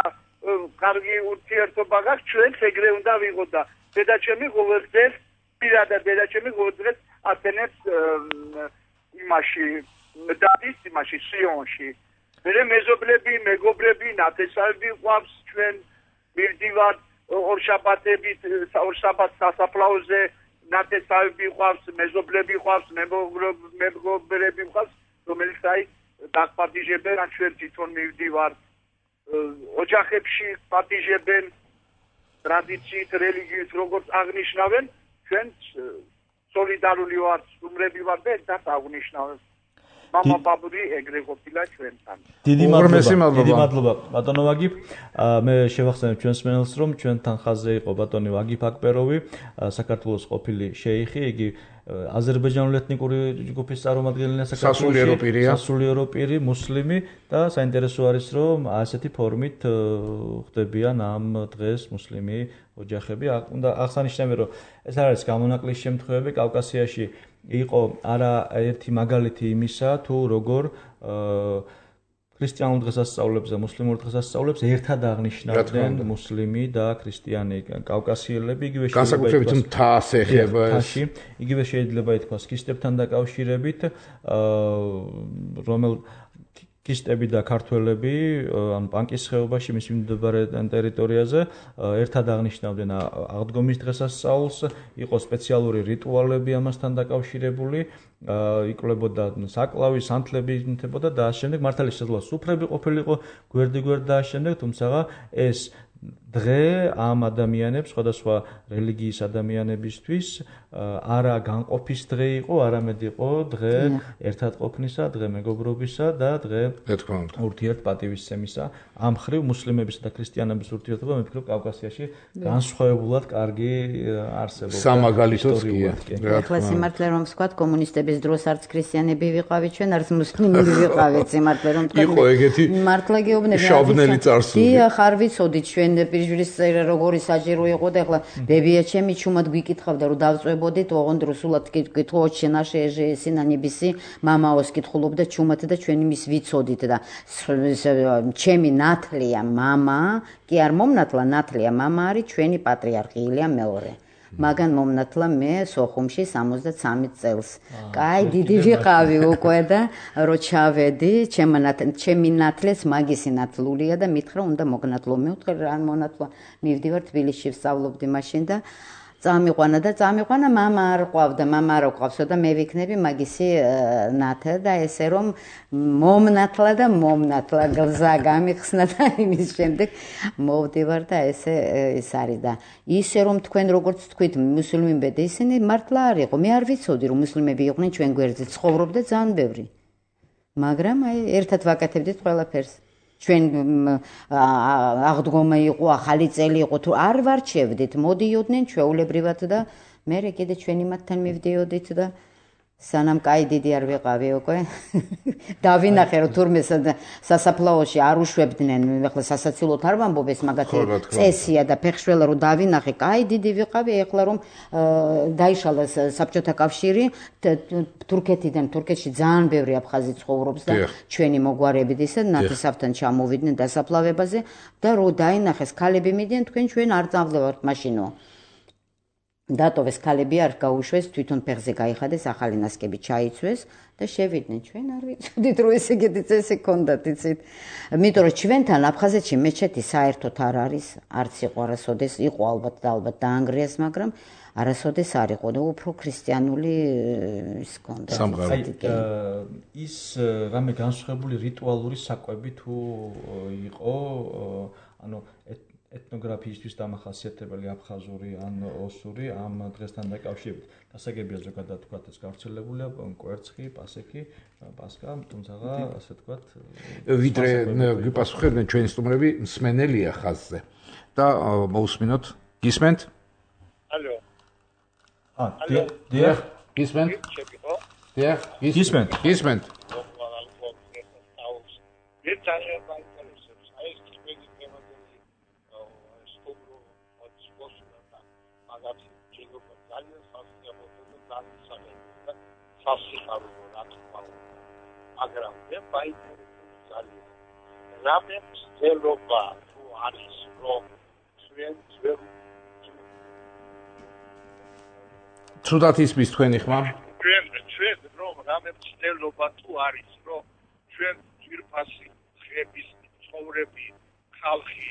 კარგი ურთიერთობა გაქვს ჩვენს ეგრე უნდა ვიყოთ და დედაჩემი ყოველ დღეს პირადად დედაჩემი ყოველ დღეს ატენებს იმაში დადის იმაში სიონში მე მეზობლები მეგობრები ნათესავები ყავს ჩვენ მივდივართ ორშაბათებით ორშაბათს სასაფლაოზე ნათესავები ყავს მეზობლები ყავს მეგობრები ყავს რომელიც აი დაგპატიჟებენ ჩვენ თვითონ მივდივართ ოჯახებში პატიჟებენ ტრადიციით რელიგიით როგორც აღნიშნავენ ჩვენ სოლიდარული ვართ სტუმრები ვართ და ერთად აღნიშნავენ მამა ბაბური ეგრე ყოფილა ჩვენთან. დიდი მადლობა. დიდი მადლობა. ბატონო ვაგიფ, მე შევახსენებ ჩვენს მენელს რომ ჩვენთან ხაზზე იყო ბატონი ვაგიფ აკბეროვი, საქართველოს ყოფილი შეიხი, იგი აზერბაიჯანული ეთნიკური ჯგუფის წარმომადგენელია საქართველოში, სასულიერო პირი, მუსლიმი და საინტერესო არის რომ ასეთი ფორმით ხდებიან ამ დღეს მუსლიმი ოჯახები. უნდა აღსანიშნავია რომ ეს არის გამონაკლის შემთხვევები კავკასიაში იყო არა ერთი მაგალითი იმისა თუ როგორ ქრისტიანულ დღესასწაულებს და მუსლიმურ დღესასწაულებს ერთად აღნიშნავდნენ მუსლიმი და ქრისტიანი კავკასიელები იგივე განსაკუთრებით მთას ეხება ეს იგივე შეიძლება ითქვას ქრისტებთან დაკავშირებით რომელ კისტები და ქართველები ან პანკის ხეობაში მის მიმდებარე ტერიტორიაზე ერთად აღნიშნავდნენ აღდგომის დღესასწაულს, იყო სპეციალური რიტუალები ამასთან დაკავშირებული, იკლებოდა საკლავი, სანთლები ინთებოდა და ამ შემდეგ მართალი შესაძლოა სუფრები ყოფილიყო გვერდ-გვერდ და ამ შემდეგ, თუმცა ეს დღე ამ ადამიანებს, სხვადასხვა რელიგიის ადამიანებისთვის არა განყოფის დღე იყო, არამედ იყო დღე ერთად ყოფნისა, დღე მეგობრობისა და დღე ურთიერთპატივისცემისა. ამ მხრივ მუსლიმებისა და ქრისტიანების ურთიერთობა მე ვფიქრობ კავკასიაში განსხვავებულად კარგი არსებობს. სამაგალითოც კი. ეხლა სიმართლე რომ ვსქვათ, კომუნისტების დროს არც ქრისტიანები ვიყავით ჩვენ, არც მუსლიმები ვიყავით, სიმართლე რომ ვთქვათ. იყო ეგეთი მართლა გეუბნები. შავნელი წარსული. დიახ, არ ვიცოდით ჩვენ პირჯვრის წერა როგორი საჭირო იყო და ეხლა ბებია ჩემი ჩუმად გვიკითხავდა რომ დავწვებოდით, ოღონდ რუსულად კითხოთ შენаше ესინა ნიბისი, მამაოს კითხულობდა ჩუმად და ჩვენი მის ვიცოდით და ჩემი ნათლია მამა, კი არ მომნათლა, ნათლია მამა არის ჩვენი პატრიარქი ილია მეორე. მაგან მომნათლა მე სოხუმში სამოცდათსამი წელს. კაი, დიდი ვიყავი უკვე და რო ჩავედი, ჩემი ნათლეს მაგისი ნათლულია და მითხრა უნდა მოგნათლო. მე ვთქვი რა მონათლა, მივდივარ თბილისში ვსწავლობდი მაშინ და წამიყვანა და წამიყვანა, მამა არ ყავდა, მამა არ ყავსო და მე ვიქნები მაგისი ნათა და ესე რომ მომნათლა და მომნათლა გზა გამიხსნა და იმის შემდეგ მოვდივარ და ესე ის არის და ისე რომ თქვენ როგორც თქვით მუსლიმები და ისინი მართლა არ იყო. მე არ ვიცოდი რომ მუსლიმები იყვნენ ჩვენ გვერდზე, ცხოვრობდა ძალიან ბევრი. მაგრამ აი ერთად ვაკეთებდით ყველაფერს. ჩვენ აღდგომა იყო, ახალი წელი იყო, თუ არ ვარჩევდით, მოდიოდნენ ჩვეულებრივად და მე კიდე ჩვენი მათთან მივდიოდით და სანამ კაი დიდი არ ვიყავი უკვე. დავინახე რომ თურმე სასაფლაოში არ უშვებდნენ, ეხლა სასაცილოდ არ ვამბობ ეს მაგათი წესია და ფეხშველა რომ დავინახე, კაი დიდი ვიყავი, ეხლა რომ დაიშალა საბჭოთა კავშირი, თურქეთიდან, თურქეთში ძალიან ბევრი აფხაზი ცხოვრობს და ჩვენი მოგვარებით ისე ნათესავთან ჩამოვიდნენ დასაფლავებაზე და რო დაინახეს ქალები მიდიან, თქვენ ჩვენ არ წავლევართ მაშინო. დატოვეს ქალები არ გაუშვეს, თვითონ ფეხზე გაიხადეს, ახალი ნასკები ჩაიცვეს და შევიდნენ. ჩვენ არ ვიცოდით რომ ესე იგი წესი ქონდათ, იცით. იმიტომ რომ ჩვენთან აფხაზეთში მეჩეთი საერთოდ არ არის, არც იყო არასოდეს, იყო ალბათ და ალბათ დაანგრიეს, მაგრამ არასოდეს არ იყო და უფრო ქრისტიანული ის ქონდა. ის რამე განსხვავებული რიტუალური საკვები თუ იყო, ანუ ეთნოგრაფიისთვის დამახასიათებელი აფხაზური ან ოსური ამ დღესთან დაკავშირებით. დასაგებია ზოგადად თქვათ ეს გავრცელებულია კვერცხი, პასექი, პასკა, თუმცა ასე თქვათ ვიდრე გიპასუხებდნენ ჩვენი სტუმრები მსმენელია ხაზზე და მოусმინოთ. გისმენთ? ალო. ა, დიახ, გისმენთ? დიახ, გისმენთ. გისმენთ. მაგრამ მე მაინტერესებს ძალიან რამე მცდელობა თუ არის რომ ჩვენ ძველ ცუდად ისმის თქვენი ხმა ჩვენ ჩვენ რომ რამე მცდელობა თუ არის რომ ჩვენ ძვირფასი ხების ცხოვრები ხალხი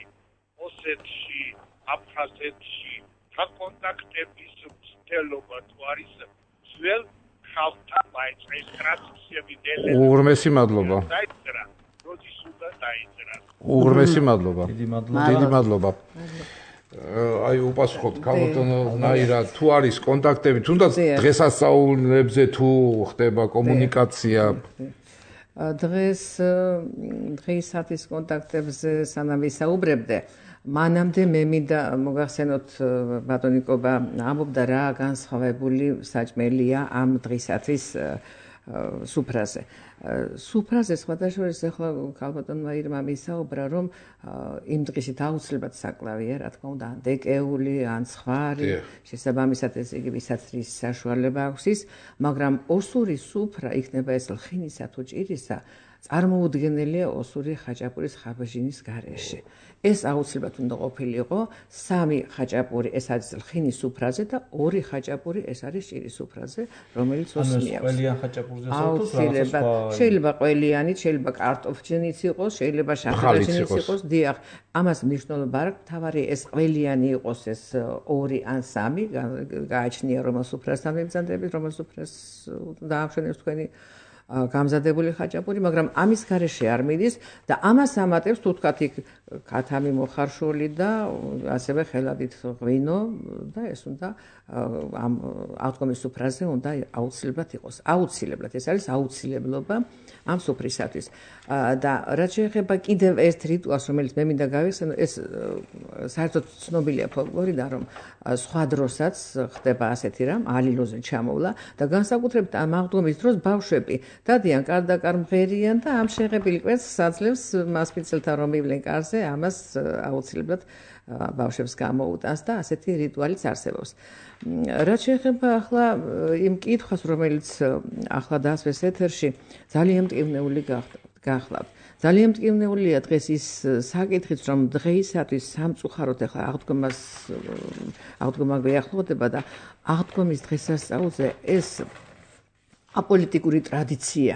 ოსეთში აფხაზეთში საკონტაქტების მცდელობა თუ არის ძველ ხალხთან მაინც ეს ტრადიციები დელე უღრმესი მადლობა დაიწერა როდის უნდა დაიწერა უღრმესი მადლობა დიდი მადლობა დიდი მადლობა აი უპასუხოთ ქალბატონო ნაირა თუ არის კონტაქტები თუნდაც დღესასწაულებზე თუ ხდება კომუნიკაცია დღეს დღეისათვის კონტაქტებზე სანამ ვისაუბრებდე მანამდე მე მინდა მოგახსენოთ ბატონიკობა ამბობდა რა განსხვავებული საჭმელია ამ დღისათვის სუფრაზე. სუფრაზე სხვადასხვა ახლა ქალბატონმა ირმა მისაუბრა რომ იმ დღეში დაუცლებად საკლავია, რა თქმა უნდა, დეკეული ან სხვარი, შესაბამისად ეს იგი ვისაცრის საშუალება აქვს ის, მაგრამ ოსური სუფრა იქნება ეს ლხინისა თუ ჭირისა წარმოუდგენელია ოსური ხაჭაპურის ხაბაჟინის გარეშე. ეს აუცილებლად უნდა ყოფილიყო სამი ხაჭაპური, ეს არის ლხინის სუფრაზე და ორი ხაჭაპური, ეს არის ჭირის სუფრაზე, რომელიც ოსმი აქვს. ყველიან ხაჭაპურზე აუცილებლად შეიძლება ყველიანიც, შეიძლება კარტოფჯენიც იყოს, შეიძლება შაქარჯენიც იყოს, დიახ, ამას მნიშვნელობა არ აქვს, თავარი ეს ყველიანი იყოს ეს ორი ან სამი, გააჩნია რომელ სუფრასთან მებრძანდებით, რომელ სუფრას დაამშვენებს თქვენი გამზადებული ხაჭაპური, მაგრამ ამის გარეშე არ მიდის და ამას ამატებს თუ თქვათ იქ ქათამი მოხარშული და ასევე ხელადით ღვინო და ეს უნდა ამ აღდგომის სუფრაზე უნდა აუცილებლად იყოს. აუცილებლად, ეს არის აუცილებლობა ამ სუფრისათვის. და რაც შეეხება კიდევ ერთ რიტუალს, რომელიც მე მინდა გავიხსენო, ეს საერთოდ ცნობილია ფოლკლორიდან, რომ სხვა დროსაც ხდება ასეთი რამ, ალილოზე ჩამოვლა და განსაკუთრებით ამ აღდგომის დროს ბავშვები დადიან კარდაკარ მღერიან და ამ შეღებილი კვერცხს საძლევს მასპინძელთან რომ ივლენ კარზე, ამას აუცილებლად ბავშვებს გამოუტანს და ასეთი რიტუალიც არსებობს. რაც შეეხება ახლა იმ კითხვას, რომელიც ახლა დასვეს ეთერში, ძალიან მტკივნეული გახლავთ. ძალიან მტკივნეულია დღეს ის საკითხიც, რომ დღეისათვის სამწუხაროდ ახლა აღდგომას აღდგომა გვეახლოვდება და აღდგომის დღესასწაულზე ეს აპოლიტიკური ტრადიცია,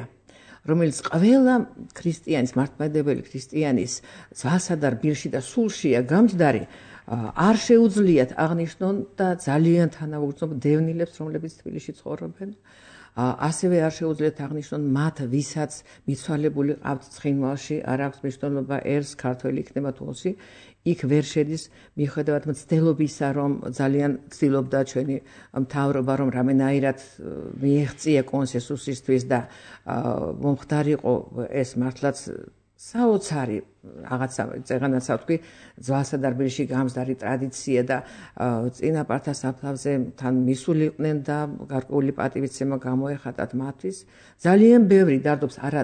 რომელიც ყველა ქრისტიანის, მართლმადიდებელი ქრისტიანის ძვალსა და რბილში და სულშია გამჯდარი, არ შეუძლიათ აღნიშნონ და ძალიან თანაუგრძნობ დევნილებს, რომლებიც თბილისში ცხოვრობენ. ასევე არ შეუძლიათ აღნიშნონ მათ, ვისაც მიცვალებული ყავთ ცხინვალში, არ აქვს მნიშვნელობა ერს ქართველი იქნება თუ ოსი, იქ ვერ შედის მიუხედავად მცდელობისა, რომ ძალიან ცდილობდა ჩვენი მთავრობა, რომ რამენაირად მიეღწია კონსენსუსისთვის და მომხდარიყო ეს მართლაც საოცარი რაღაცა წეღანაცა ვთქვი, ძვალსა და რბილში გამზდარი ტრადიცია და წინაპართა საფლავზე თან მისულიყვნენ და გარკვეული პატივისცემა გამოეხატათ მათთვის. ძალიან ბევრი დარდობს არა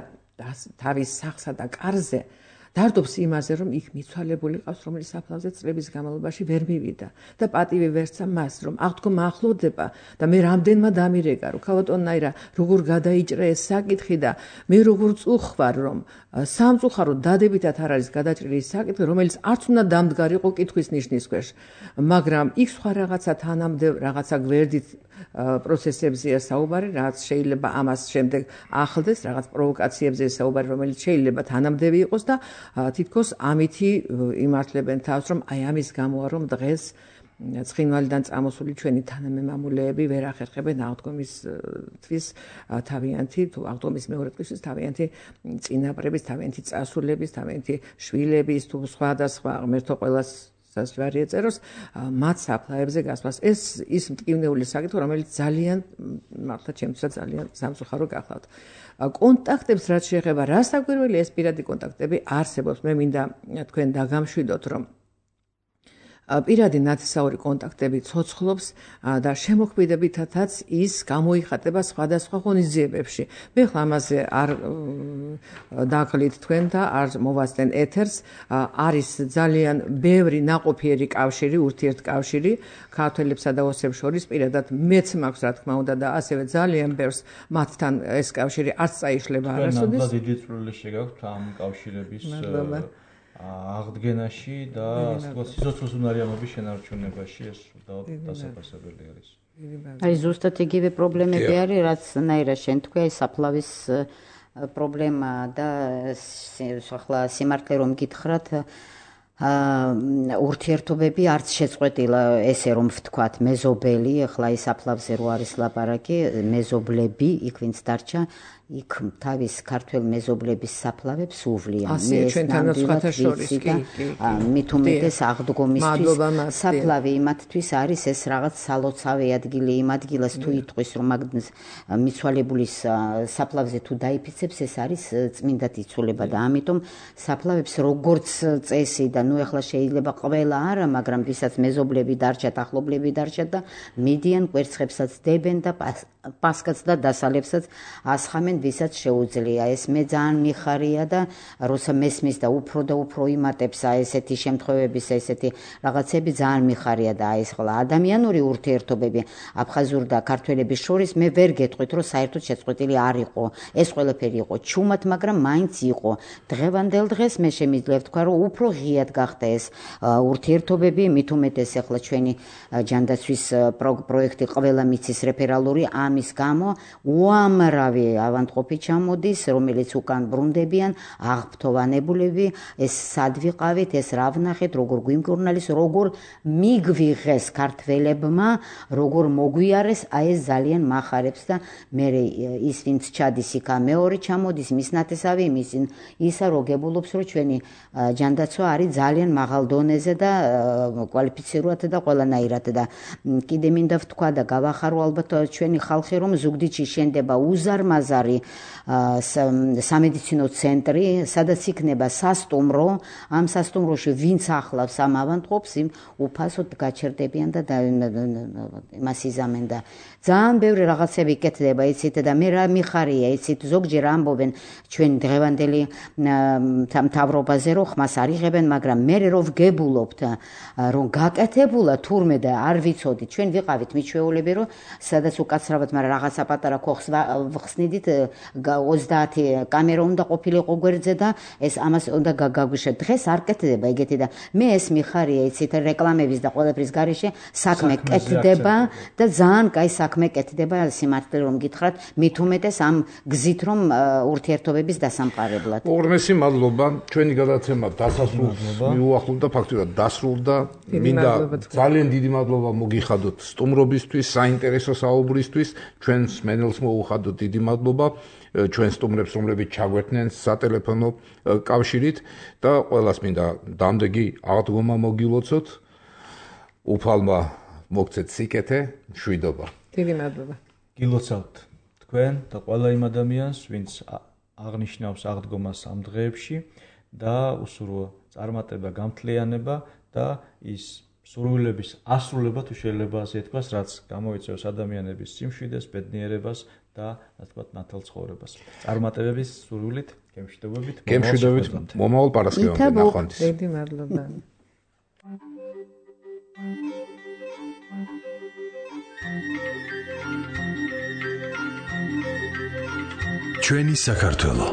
თავის სახსა და კარზე, დარდობს იმაზე, რომ იქ მიცვალებული ყავს, რომელიც საფლავზე წლების განმავლობაში ვერ მივიდა და პატივი ვერცა მას, რომ აღდგომა ახლოვდება და მე რამდენმა დამირეკა, რომ ქალბატონნაირა როგორ გადაიჭრა ეს საკითხი და მე როგორ წუხвар, რომ სამწუხაროდ დადებითად არ არის გადაჭრილი ეს საკითხი, რომელიც არც უნდა დამდგარიყო კითხვის ნიშნის ქვეშ, მაგრამ იქ სხვა რაღაცა თანამდე რაღაცა გვერდით პროცესებზეა საუბარი, რაც შეიძლება ამას შემდეგ ახლდეს, რაღაც პროვოკაციებზე საუბარი, რომელიც შეიძლება თანამდები იყოს და თითქოს ამითი იმართლებენ თავს, რომ აი ამის გამოა, რომ დღეს ცხინვალიდან წამოსული ჩვენი თანამემამულეები ვერ ახერხებენ აღდგომისთვის თავიანთი თუ აღდგომის მეორე დღისთვის თავიანთი წინაპრების, თავიანთი წასულების, თავიანთი შვილების თუ სხვა და სხვა ღმერთო ყველას სასჯვარი ეწეროს მათ საფლავებზე გასვლას. ეს ის მტკივნეული საკითხი, რომელიც ძალიან მართლა ჩემთვისაც ძალიან სამწუხარო გახლავთ. კონტაქტებს რაც შეეხება, რასაკვირველია ეს პირადი კონტაქტები არსებობს. მე მინდა თქვენ დაგამშვიდოთ, რომ პირადი ნათესაური კონტაქტები ცოცხლობს და შემოქმედებითაც ის გამოიხატება სხვადასხვა ღონისძიებებში. მე ხლა ამაზე არ დაგლით თქვენ და არ მოვასწენ ეთერს. არის ძალიან ბევრი ნაყოფიერი კავშირი, ურთიერთკავშირი ქართველებსა და ოსებს შორის. პირადად მეც მაქვს რა თქმა უნდა და ასევე ძალიან ბევრს მათთან ეს კავშირი არც წაიშლება არასოდეს. ნამდვილად დიდი წვლილი შეგაქვთ ამ კავშირების აღდგენაში და სიცოცხლის უნარიანობის შენარჩუნებაში, ეს დასაფასებელი არის. აი ზუსტად იგივე პრობლემები არის, რაც ნაირა შენ თქვი, საფლავის პრობლემა და ახლა სიმართლე რომ გითხრათ, ურთიერთობები არც შეწყვეტილა, ესე რომ ვთქვათ, მეზობელი, ახლა ის საფლავზე რო არის ლაპარაკი, მეზობლები, იქ ვინც დარჩა, იქ თავის ქართველ მეზობლების საფლავებს უვლიან. მე ჩვენთანაც სხვათა შორის კი, კი. მით უმეტეს აღდგომისთვის საფლავი იმათთვის არის ეს რაღაც სალოცავი ადგილი იმ ადგილას თუ იტყვის, რომ მაგდნის მიცვალებულის საფლავზე თუ დაიფიცებს, ეს არის წმინდად იცოლება და ამიტომ საფლავებს როგორც წესი და ნუ ახლა შეიძლება ყველა არა, მაგრამ ვისაც მეზობლები დარჩათ, ახლობლები დარჩათ და მიდიან კვერცხებსაც დებენ და პასკაც და დასალებსაც ასხამენ, ვისაც შეუძლია. ეს მე ძალიან მიხარია და როცა მესმის და უფრო და უფრო იმატებს აი ესეთი შემთხვევების, ესეთი რაღაცები ძალიან მიხარია და აი ეს ხოლმე ადამიანური ურთიერთობები აფხაზურ და ქართველების შორის მე ვერ გეტყვით, რომ საერთოდ შეწყვეტილი არ იყო. ეს ყველაფერი იყო ჩუმად, მაგრამ მაინც იყო. დღევანდელ დღეს მე შემიძლია ვთქვა, რომ უფრო ღიად გახდა ეს ურთიერთობები, მით უმეტეს ახლა ჩვენი ჯანდაცვის პროექტი ყველა მიცის რეფერალური ამის გამო უამრავი ავადმყოფი ჩამოდის, რომელიც უკან ბრუნდებიან, აღფრთოვანებულები, ეს სად ვიყავით, ეს რა ვნახეთ, როგორ გვიმკურნალის, როგორ მიგვიღეს ქართველებმა, როგორ მოგვიარეს, აი ეს ძალიან მახარებს და მე ის ვინც ჩადის იქა მეორე ჩამოდის, მის ნათესავი, იმის ისა რო გებულობს, რომ ჩვენი ჯანდაცვა არის ძალიან მაღალ დონეზე და კვალიფიცირებად და ყველანაირად და კიდე მინდა ვთქვა და გავახარო ალბათ ჩვენი ხალხი, რომ ზუგდიდში შენდება უზარმაზარი სამედიცინო ცენტრი, სადაც იქნება სასტუმრო, ამ სასტუმროში ვინც ახლავს ამ ავადმყოფს, იმ უფასოდ გაჩერდებიან და იმას იზამენ და ძალიან ბევრი რაღაცები იკეთდება, იცით და მე რა მიხარია, იცით ზოგჯერ ამბობენ ჩვენ დღევანდელი მთავრობაზე, რომ ხმას არ იღებენ, მაგრამ მე რო ვგებულობთ, რომ გაკეთებულა თურმე და არ ვიცოდით, ჩვენ ვიყავით მიჩვეულები, რომ სადაც უკაცრავად, მაგრამ რაღაცა პატარა ქოხს ვხსნიდით, ოცდაათი კამერა უნდა ყოფილიყო გვერდზე და ეს ამას უნდა გაგვიშეთ. დღეს არ კეთდება ეგეთი და მე ეს მიხარია, იცით, რეკლამების და ყველაფრის გარეშე საქმე კეთდება და ძალიან კაი საქმე კეთდება, სიმართლე რომ გითხრათ, მით უმეტეს ამ გზით რომ ურთიერთობების დასამყარებლად. უღრმესი მადლობა, ჩვენი გადაცემა დასასრულს მიუახლოვდა, ფაქტობრივად დასრულდა. მინდა ძალიან დიდი მადლობა მოგიხადოთ სტუმრობისთვის, საინტერესო საუბრისთვის, ჩვენს მენელს მოუხადოთ დიდი მადლობა, ჩვენ სტუმრებს, რომლებიც ჩაგვერთნენ სატელეფონო კავშირით და ყველას მინდა დამდეგი აღდგომა მოგილოცოთ. უფალმა მოგცეთ სიკეთე, მშვიდობა. დიდი მადლობა. გილოცავთ თქვენ და ყველა იმ ადამიანს, ვინც აღნიშნავს აღდგომას ამ დღეებში და უსურვო წარმატება, გამთლიანება და ის სურვილების ასრულება თუ შეიძლება ასე ითქვას, რაც გამოიწვევს ადამიანების სიმშვიდეს, ბედნიერებას და ასე ვთქვათ, ნათელ ცხოვრებას. წარმატებების სურვილით, გემშვიდობებით, გემშვიდობით, მომავალ პარასკევამდე ნახვამდის. დიდი მადლობა. ჩვენი საქართველო